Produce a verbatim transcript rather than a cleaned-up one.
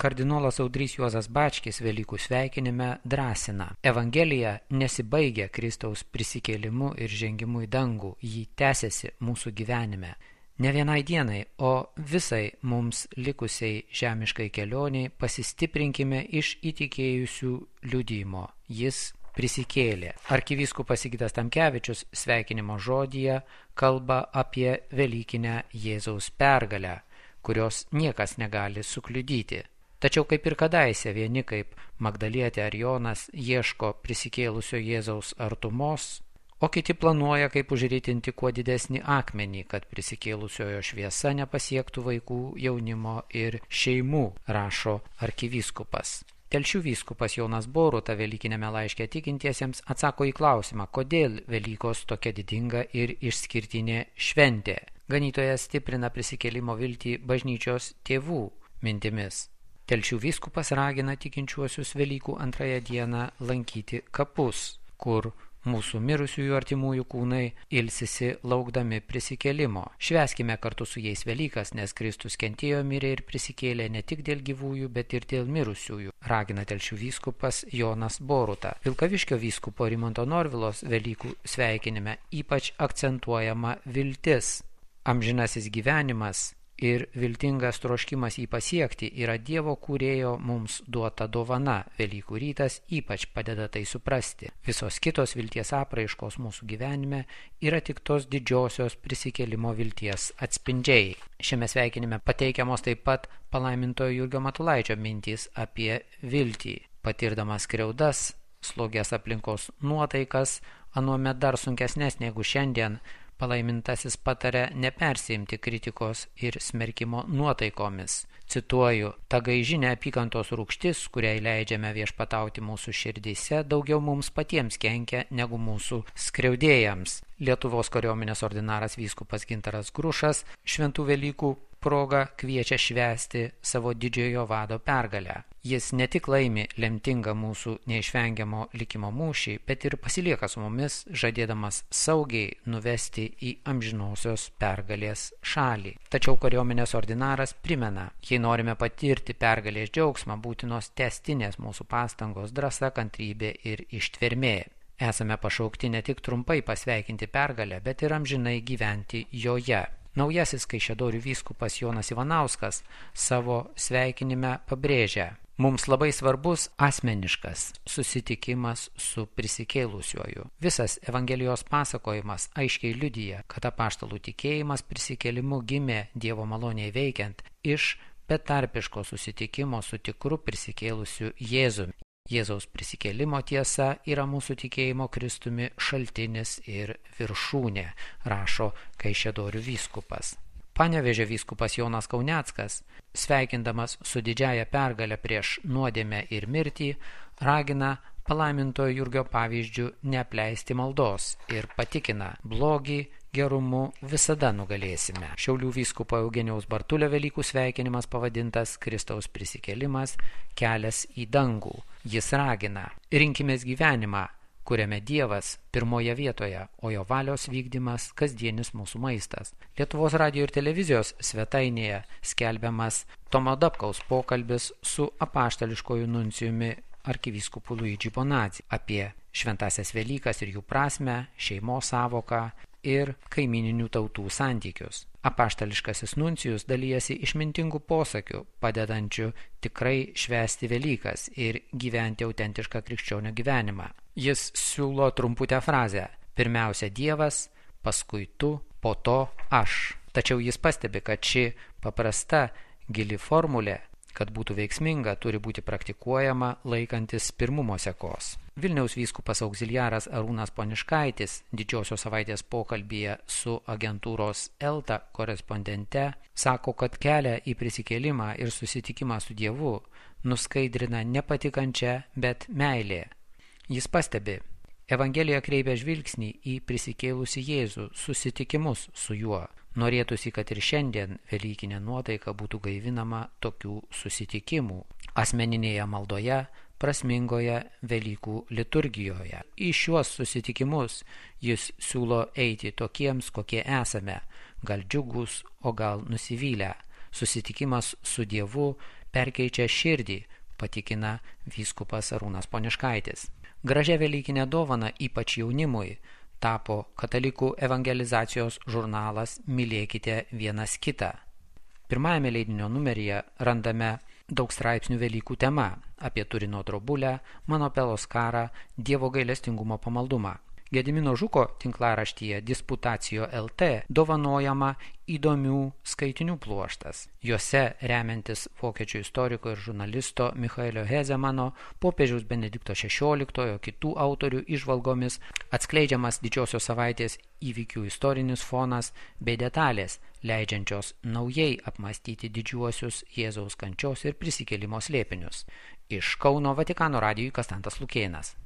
Kardinolas Audrys Juozas Bačkis Velykų sveikinime drąsina. Evangelija nesibaigia Kristaus prisikėlimu ir žengimu į dangų, jį tęsiasi mūsų gyvenime. Ne vienai dienai, o visai mums likusiai žemiškai kelioniai pasistiprinkime iš įtikėjusių liudijimo. Jis prisikėlė. Arkivyskupas Sigitas Tamkevičius sveikinimo žodyje kalba apie Velykinę Jėzaus pergalę, kurios niekas negali sukliudyti. Tačiau kaip ir kadaise vieni kaip Magdalietė ar Jonas ieško prisikėlusio Jėzaus artumos, o kiti planuoja kaip užritinti kuo didesnį akmenį, kad prisikėlusiojo šviesa nepasiektų vaikų, jaunimo ir šeimų, rašo arkivyskupas. Telšių vyskupas Jonas Boruta Velykinėme laiške tikintiesiems atsako į klausimą, kodėl Velykos tokia didinga ir išskirtinė šventė. Ganytojas stiprina prisikėlimo viltį bažnyčios tėvų mintimis. Telšių vyskupas ragina tikinčiuosius Velykų antrąją dieną lankyti kapus, kur mūsų mirusiųjų artimųjų kūnai ilsisi laukdami prisikėlimo. Švęskime kartu su jais Velykas, nes Kristus kentėjo, mirė ir prisikėlė ne tik dėl gyvųjų, bet ir dėl mirusiųjų, ragina Telšių vyskupas Jonas Boruta. Vilkaviškio vyskupo Rimanto Norvilos Velykų sveikinime ypač akcentuojama viltis. Amžinasis gyvenimas ir viltingas troškimas jį pasiekti yra Dievo kūrėjo mums duota dovana. Velykų rytas ypač padeda tai suprasti. Visos kitos vilties apraiškos mūsų gyvenime yra tik tos didžiosios prisikėlimo vilties atspindžiai. Šiame sveikinime pateikiamos taip pat palaimintojo Jurgio Matulaičio mintys apie viltį. Patirdamas skriaudas, slogias aplinkos nuotaikas, anuomet dar sunkesnės negu šiandien, palaimintasis pataria nepersiimti kritikos ir smerkimo nuotaikomis. Cituoju, ta gaiži neapykantos rūgštis, kuriai leidžiame viešpatauti mūsų širdyse, daugiau mums patiems kenkia negu mūsų skriaudėjams. Lietuvos kariuomenės ordinaras vyskupas Gintaras Grušas šventų Velykų proga kviečia švęsti savo didžiojo vado pergalę. Jis ne tik laimi lemtingą mūsų neišvengiamo likimo mūšį, bet ir pasilieka su mumis, žadėdamas saugiai nuvesti į amžinosios pergalės šalį. Tačiau kariuomenės ordinaras primena, jei norime patirti pergalės džiaugsmą, būtinos tęstinės mūsų pastangos, drąsa, kantrybė ir ištvermė. Esame pašaukti ne tik trumpai pasveikinti pergalę, bet ir amžinai gyventi joje. Naujasis Kaišiadorių vyskupas Jonas Ivanauskas savo sveikinime pabrėžia, mums labai svarbus asmeniškas susitikimas su prisikėlusiuoju. Visas Evangelijos pasakojimas aiškiai liudija, kad apaštalų tikėjimas prisikėlimu gimė Dievo maloniai veikiant iš betarpiško susitikimo su tikru prisikėlusiu Jėzumi. Jėzaus prisikėlimo tiesa yra mūsų tikėjimo Kristumi šaltinis ir viršūnė, rašo Kaišiadorių vyskupas. Panevėžio vyskupas Jonas Kauneckas, sveikindamas su didžiaja pergale prieš nuodėmę ir mirtį, ragina palaimintojo Jurgio pavyzdžių neapleisti maldos ir patikina, blogį gerumu visada nugalėsime. Šiaulių vyskupo Eugenijaus Bartulio Velykų sveikinimas pavadintas Kristaus prisikėlimas, kelias į dangų. Jis ragina, rinkimės gyvenimą, kuriame Dievas pirmoje vietoje, o jo valios vykdymas kasdienis mūsų maistas. Lietuvos radijo ir televizijos svetainėje skelbiamas Tomo Dapkaus pokalbis su apaštališkoju nuncijumi arkivyskupu Luigi Bonazzi apie šventąsias Velykas ir jų prasmę, šeimos savoką ir kaimininių tautų santykius. Apaštališkasis nuncijus dalijasi išmintingų posakių, padedančių tikrai švęsti Velykas ir gyventi autentišką krikščionio gyvenimą. Jis siūlo trumputę frazę: pirmiausia Dievas, paskui tu, po to aš. Tačiau jis pastebi, kad ši paprasta, gili formulė, kad būtų veiksminga, turi būti praktikuojama laikantis pirmumo sekos. Vilniaus vyskupas auxiliaras Arūnas Poniškaitis didžiosios savaitės pokalbyje su agentūros Elta korespondente sako, kad kelią į prisikėlimą ir susitikimą su Dievu nuskaidrina nepatikančią, bet meilė. Jis pastebi, Evangelija kreipia žvilgsnį į prisikėlusį Jėzų, susitikimus su juo. Norėtųsi, kad ir šiandien velykinė nuotaika būtų gaivinama tokių susitikimų asmeninėje maldoje, prasmingoje Velykų liturgijoje. Į šiuos susitikimus jis siūlo eiti tokiems, kokie esame, gal džiugus, o gal nusivylę. Susitikimas su Dievu perkeičia širdį, patikina vyskupas Arūnas Poniškaitis. Gražia velykinė dovana ypač jaunimui tapo katalikų evangelizacijos žurnalas Mylėkite vienas kitą. Pirmajame leidinio numeryje randame daug straipsnių Velykų tema apie Turino drobulę, Manopelos karą, Dievo gailestingumo pamaldumą. Gedimino Žuko tinklaraštyje Disputacijo L T dovanojama įdomių skaitinių pluoštas. Juose, remiantis vokiečių istoriko ir žurnalisto Michaelio Hezemano, popiežiaus Benedikto šešioliktojo kitų autorių įžvalgomis, atskleidžiamas didžiosios savaitės įvykių istorinis fonas bei detalės, leidžiančios naujai apmąstyti didžiuosius Jėzaus kančios ir prisikėlimo slėpinius. Iš Kauno Vatikano radijui Kastantas Lukėnas.